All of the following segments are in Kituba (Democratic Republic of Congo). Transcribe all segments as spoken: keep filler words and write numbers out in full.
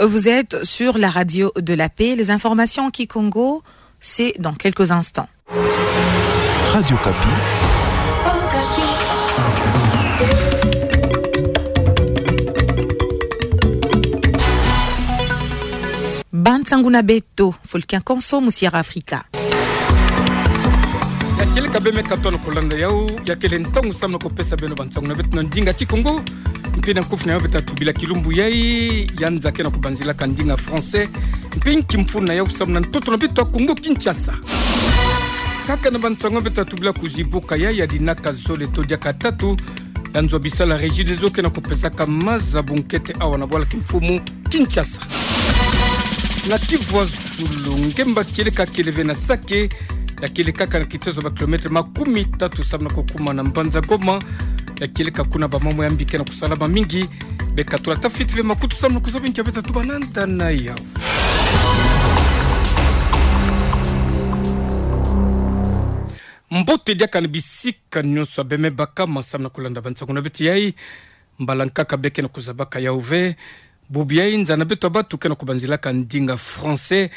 Vous êtes sur la radio de la paix. Les informations en kikongo, c'est dans quelques instants. Radio Okapi. Ba nsangu na beto, Folkin Konso, Musiara Afrika. Ya kieleka bê me katono kolanda yau, ya kele ntangu samu na kupesa beno ba nsangu na beto na ndinga kikongo. Mpe na nkufi na yau beta tubila kilumbu yai, ya nza ke na kubanzilaka ndinga français. Mpe nki mfunu na yau samu na ntoto na beto ya Kongo Kinshasa. Kaka na ba nsangu beta tubila kuzibuka yai, ya dinaka zole to diaka tatu, ya nzo ya bisala Regideso ke na kupesaka maza bunkete awa na bwala kimfumu Kinshasa. Na Kivu ya Zulu, ngemba kieleka kele ve na Sake, ya kieleka kaka na kitezo ba kilometre makumi tatu samu na kukuma na mbanza Goma, ya kieleka kuna ba mambu ya mbi ke na kusalama mingi. Beka tula tafiti ve makutu samu na kuzaba nkia beta tubananta na yau. Mbote diaka na bisika nyonso bê me bakama samu na kulanda ba nsangu na beto yai. Mbala nkaka bê ke na kuzabaka yau ve. Bubu yai nza na beto ya batu ke na kubanzilaka ndinga français.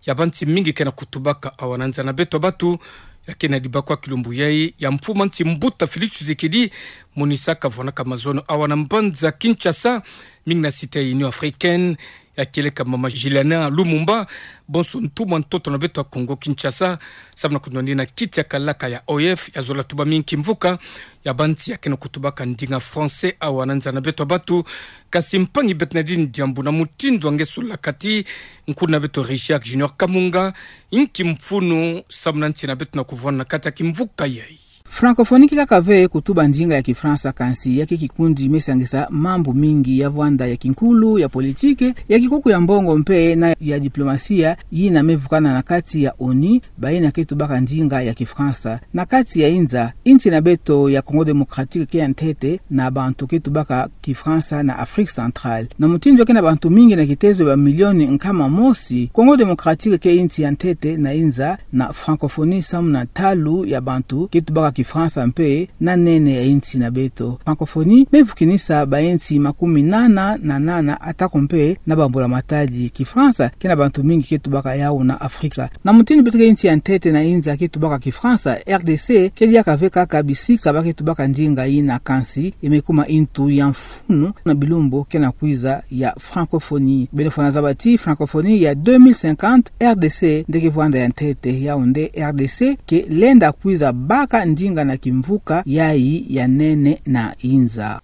Ya bansi mingi ke na kutubaka awa na nza na beto ya batu. Ya ke na dibakwa kilumbu yai ya mfumu a nsi mbuta Félix Tshisekedi, monisaka vwanaka mazono awa na mbanza Kinshasa, mingi na cité ya Union Africaine, ya kieleka mama Juliana Lumumba, bonso ntumwa ntoto na beto ya Kongo Kinshasa, samu na kunwani na kiti ya kalaka ya O I F, ya zola tuba mingi kimvuka, ya bansi ya ke na kutubaka ndinga français awa na nza na beto ya batu. Kasi mpangi Bernardine Diambu, na mutindu wa nge sula kati, nkulu na beto Richard Junior Kamunga, nki mfunu samu na nsi na beto na kuvwanda na kati ya kimvuka yai. Francophonie ke kaka ve kutuba ndinga ya Kifalansa, kansi ya ke kikundi me sangisa mambu mingi ya vwanda ya kinkulu, ya politike, ya kikuku ya mbongo mpe na ya diplomasia, yina me vukana na kati ya ONU, bayina ke tubaka ndinga ya Kifalansa. Na kati ya inza, insi na beto ya Congo Démocratique ke ya ntete na bantu ke tubaka Kifalansa na Afrique Centrale. Na mutindu ke na bantu mingi na kitezo ba milioni nkama mosi, Congo Démocratique ke insi ya ntete na inza na francophonie samu na ntalu ya bantu ke tubaka Kifalansa mpe na nene ya insi na beto. Francophonie me vukinisa ba insi makumi nana na nana, atako mpe na bambula matadi. Kifalansa ke na bantu mingi ke tubaka yau na Afrika. Na mutindu beto ke insi ya ntete na inza ke tubaka Kifalansa, R D C ke diaka ve kaka bisika ba ke tubaka ndinga yina, kansi e me kuma ntu ya mfunu na bilumbu ke na kwiza ya francophonie. Beno fwana zaba ti francophonie ya deux mille cinquante, R D C nde ke vwanda ya ntete. Yau nde R D C ke lenda kwiza baka ndinga na kimvuka yai ya nene na inza.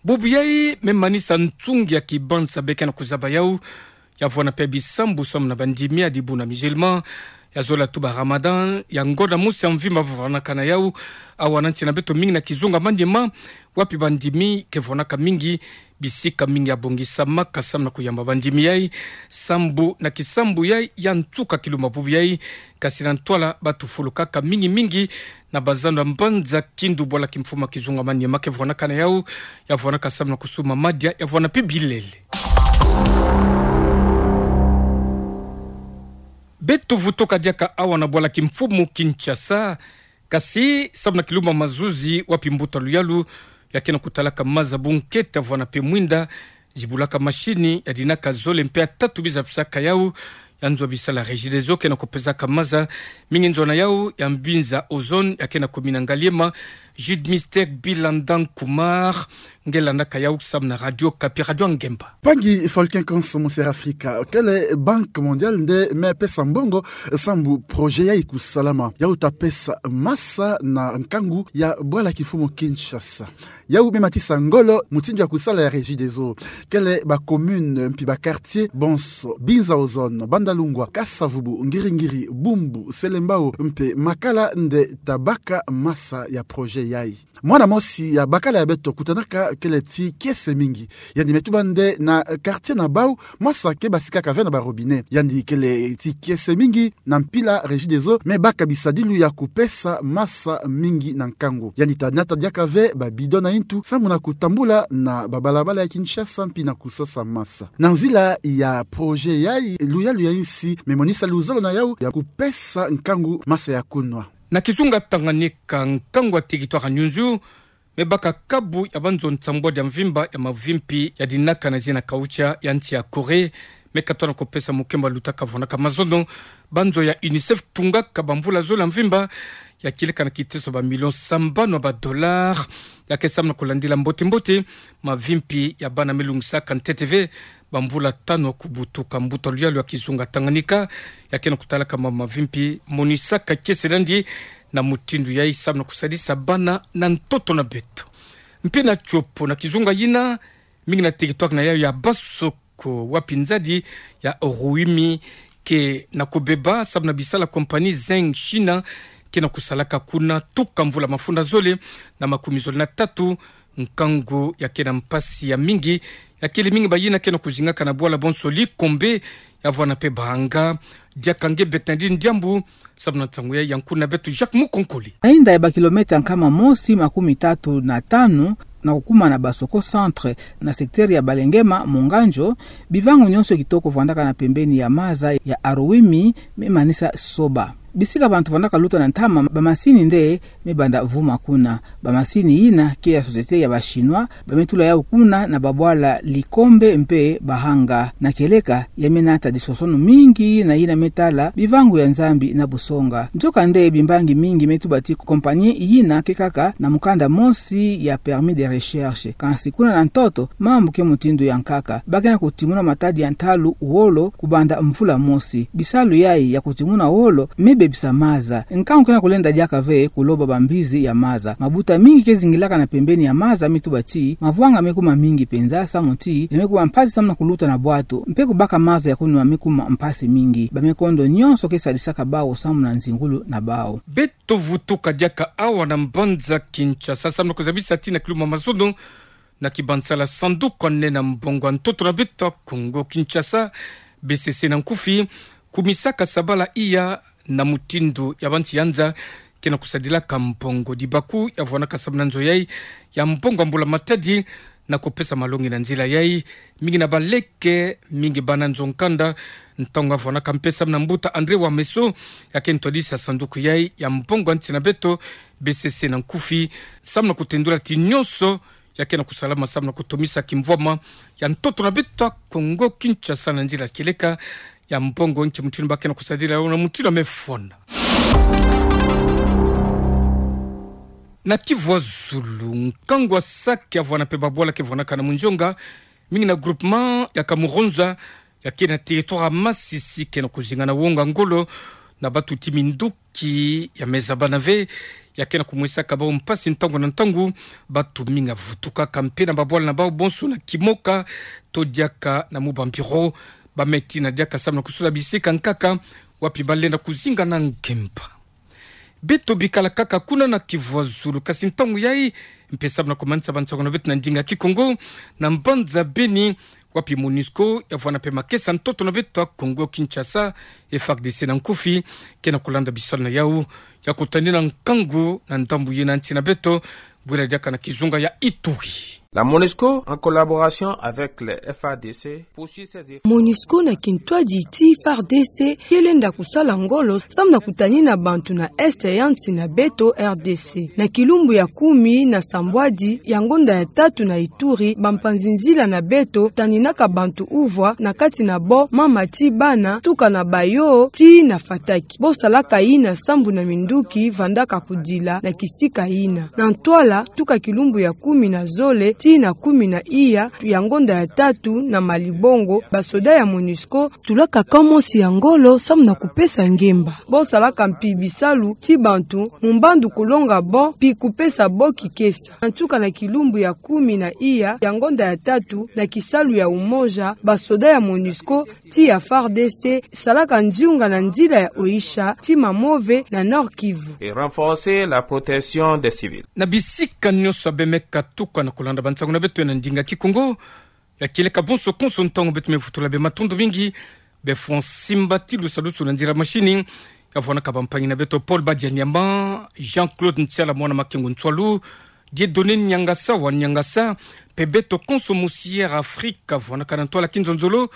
Bubu yai me manisa nsungi ya kibansa bê ke na kuzaba yau, ya vwana mpe bisambu samu na bandimi ya dibu na musulman, ya zola tuba Ramadan, ya ngonda mosi ya mvimba ba vwanaka na yau awa na nsi na beto mingi na kizunga maniema, wapi bandimi ke vwanaka mingi, bisika mingi ya bongisamaka samu na kuyamba bandimi yai, sambu na kisambu yai ya nsuka kilumbu bubu yai, kasi na ntwala ba tufulukaka mingi mingi na bazando ya mbanza Kindu, bwala kimfumu ya kizunga maniema ke vwanaka na yau, ya vwanaka samu na kusuma madia, ya vwana mpe bilele. Beto vutuka diaka awa na bwala kimfumu Kinshasa, kasi samu na kilumbu ya mazuzi wapi mbuta luyalu ya ke na kutalaka maza bunkete, ya vwana mpe mwinda, zibulaka mashini, ya dinaka zole mpe ya tatu biza bisaka yau, ya nzo ya bisala Regideso ke na kupesaka maza, mingi nzo na yau ya mbinza ozone, ya ke na kumina ngaliema. Jude Mystère Bilandan Kumar, nge landaka yau samu na Radio Okapi, radio ya ngemba. Mpangi Folkin Konso, Musiara Afrika, kele Banque Mondiale nde me pesa mbongo sambu projet yai kusalama. Yau ta pesa masa na nkangu ya bwala kimfumu Kinshasa. Yau me matisa ngolo mutindu ya kusala ya Regideso. Kele ba commune mpi ba quartier bonso, binza ozone, Bandalungwa, Kasa-Vubu, Ngiri-Ngiri, Bumbu, Selembao mpe Makala nde ta baka masa ya projet yai. Mwana mosi ya bakala ya beto kutanaka kele ti kiese mingi. Yandi me tuba nde na quartier na bau, masa ke basikaka ve na ba robinet. Yandi kele ti kiese mingi, na mpila Regideso me baka bisadilu ya kupesa masa mingi na nkangu. Yandi ta nata diaka ve ba bidon na ntu, sambu na kutambula na ba balabala ya Kinshasa mpi na kusosa masa. Na nzila ya projet yai, luyalu ya insi me monisa luzolo na yau ya kupesa nkangu masa ya kunwa. Na kizunga Tanganyika, nkangu ya territoire ya Nyunzu me baka kabu ya banzo nsambwadi ya mvimba ya mavimpi ya dinaka na zina kaucha ya nsi ya Corée, Me katoa na kopesa mokembo ya lutaka vwanaka mazono banzo ya UNICEF tungaka bamvula zole ya mvimba, ya kieleka na kiteso ba million sambanu ya ba dollars. Ya ke samu na kolandila mbote-mbote mavimpi ya bana me lungisaka ntete ve bamvula tanu ya kubutuka. Mbuta luyalu ya kizunga Tanganyika, ya ke na kutalaka ma mavimpi monisaka kiese yandi, na mutindu yayi samu na kusadisa bana na ntoto na beto. Mpe na tiopo na kizunga yina, mingi na territoire na yayo ya Baso ko wapi nzadi ya Aroimi ke na kobeba samu na bisalu ya compagnie Zheng China ke na kusalaka kuna tuka mvula mafunda zole na makumi zole na tatu. Nkangu ya ke na mpasi ya mingi, ya kele mingi bayina ke na kuzingaka na bwala bonso Likombe, ya vwana mpe Bahanga. Diaka nge Bernardine Diambu, samu na nsangu ya, ya nkuna beto Jacques Mukonkole. Na inda ya ba kilomètre nkama mosi makumi tatu na tanu, na kukuma na Basoko centre, na secteur ya Balengema, Monganjo, bivangu nyonso kitoko vandaka na pembeni ya maza ya Aroimi me manisa soba. Bisika bantu vandaka luta na ntama, bamasini nde me banda vuma kuna. Bamasini yina ke ya société ya ba Chinois, ba me tula yawu kuna na babwala Likombe mpe Bahanga. Na kieleka, ya me nata disosono mingi na yina me tala bivangu ya Nzambi na busonga. Nzoka nde bimbangi mingi me tuba ti compagnie yina ke kaka na mukanda mosi ya permis de recherche. Kansi kuna na ntoto, mambu ke mutindu ya nkaka. Ba ke na kutimuna matadi ya ntalu wolo kubanda mvula mosi. Bisalu yayi ya kutimuna wolo me bebisa maza. Nkangu ke na kulenda diaka ve kuloba bambizi ya maza. Mabuta mingi ke zingilaka na pembeni ya maza me tuba ti mavwanga me kuma mingi penza, samu ti za me kuma mpasi samu na kuluta na bwato, mpe kubaka maza ya kunwa me kuma mpasi mingi. Ba me kondo nyonso ke sadisaka bawu samu na nzingulu na bawu. Beto vutuka diaka awa na mbanza Kinshasa samu na kuzabisa ti na kilumbu ya mazono na kibansala sanduku ya nene ya mbongo ya ntoto na beto ya Kongo Kinshasa, B C C na nkufi, kumisaka sabala iya na mutindu ya bansi ya nza ke na kusadilaka mbongo. Dibaku ya vwanaka samu na nzo yayi ya mbongo ya mbula matadi na kopesa malongi na nzila yayi. Mingi na baleke, mingi bana nzo nkanda, ntangu ya vwanaka mpe samu na mbuta André Wameso, ya ke ntwadisi ya sanduku yayi ya mbongo ya nsi na beto, B C C na nkufi, samu na kutendula ti nyonso ya ke na kusalama samu na kutomisa kimvwama ya ntoto na beto ya Kongo Kinshasa na nzila kieleka ya mbongo nki mutindu ba ke na kusadila yawu na mutindu ya mefona. Na Kivu ya zulu, nkangu ya saki ya vwana mpe babwala ke vwanaka na munzonga, mingi na groupement ya Kamuronza, ya ke na territoire ya Masisi, ke na kuzinga na wonga ngolo na bantu ti minduki ya meza bana ve, ya ke na kumwisaka bawu mpasi ntangu na ntangu. Bantu mingi ya vutukaka mpe na babwala na bawu bonso na Kimoka, to diaka na Mubambiro. Ba me tina diaka samu na kusosa bisika nkaka wapi ba lenda kuzinga na ngemba. Beto bikala kaka kuna na Kivu ya zulu, kasi ntangu yayi, mpe samu na kumanisa bansangu na beto na ndinga Kikongo, na mbanza Beni, wapi MONUSCO ya vwana mpe makesa ntoto na beto ya Kongo Kinshasa, F A R D C na nkufi, ke na kulanda bisalu na yawu ya kutanina nkangu na ndambu yina nsi na beto, bwela diaka na kizunga ya Ituri. La MONUSCO, en collaboration avec le F A R D C, poursuit ses efforts. MONUSCO na kintwadi ti F A R D C ke lenda kusala ngolo samu na kutanina bantu na est ya nsi na beto R D C. Na kilumbu ya kumi na sambwadi ya ngonda ya tatu na Ituri, bampanzi nzila na beto taninaka bantu uvwa, na kati na bo mama ti bana, tuka na Bayo tii na Fataki. Bo salaka yina sambu na minduki vandaka kudila na kisika yina. Na ntwala, tuka kilumbu ya kumi na zole tii na kumi na iya ya ngonda ya tatu na Malibongo, basoda ya MONUSCO tulaka camp mosi ya ngolo samu na kupesa ngemba. Bo salaka mpi bisalu ti bantu, mu mbandu kulonga bo, mpi kupesa bo kikesa. Na nsuka na kilumbu ya kumi na iya ya ngonda ya tatu, na kisalu ya umoja, basoda ya MONUSCO tii ya F A R D C salaka nziunga na nzila ya Oicha tii Mamove na Nord-Kivu. Et renforcer la protection des civils. Na bisika nyonso beno me katuka na kulanda bansangu na beto na ndinga Kikongo, ya kieleka bonso konso ntangu beto me vutula beno matondo mingi. Beno fwa simba ti lusalusu na nzila machine ya vwanaka bampangi na beto Paul Badianyama, Jean-Claude Ntiala, mwana Makengo Ntsualu, Dieudonné Niangasa wa Niangasa, mpe beto konso mosi ya Afrika vwanaka na ntwala kinzonzolo.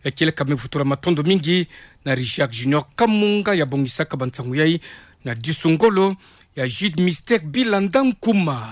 Ya kieleka me vutula matondo mingi na Richard Junior Kamunga ya bongisaka bansangu yayi, na disu ngolo ya Jude Mister Bilanda Nkuma.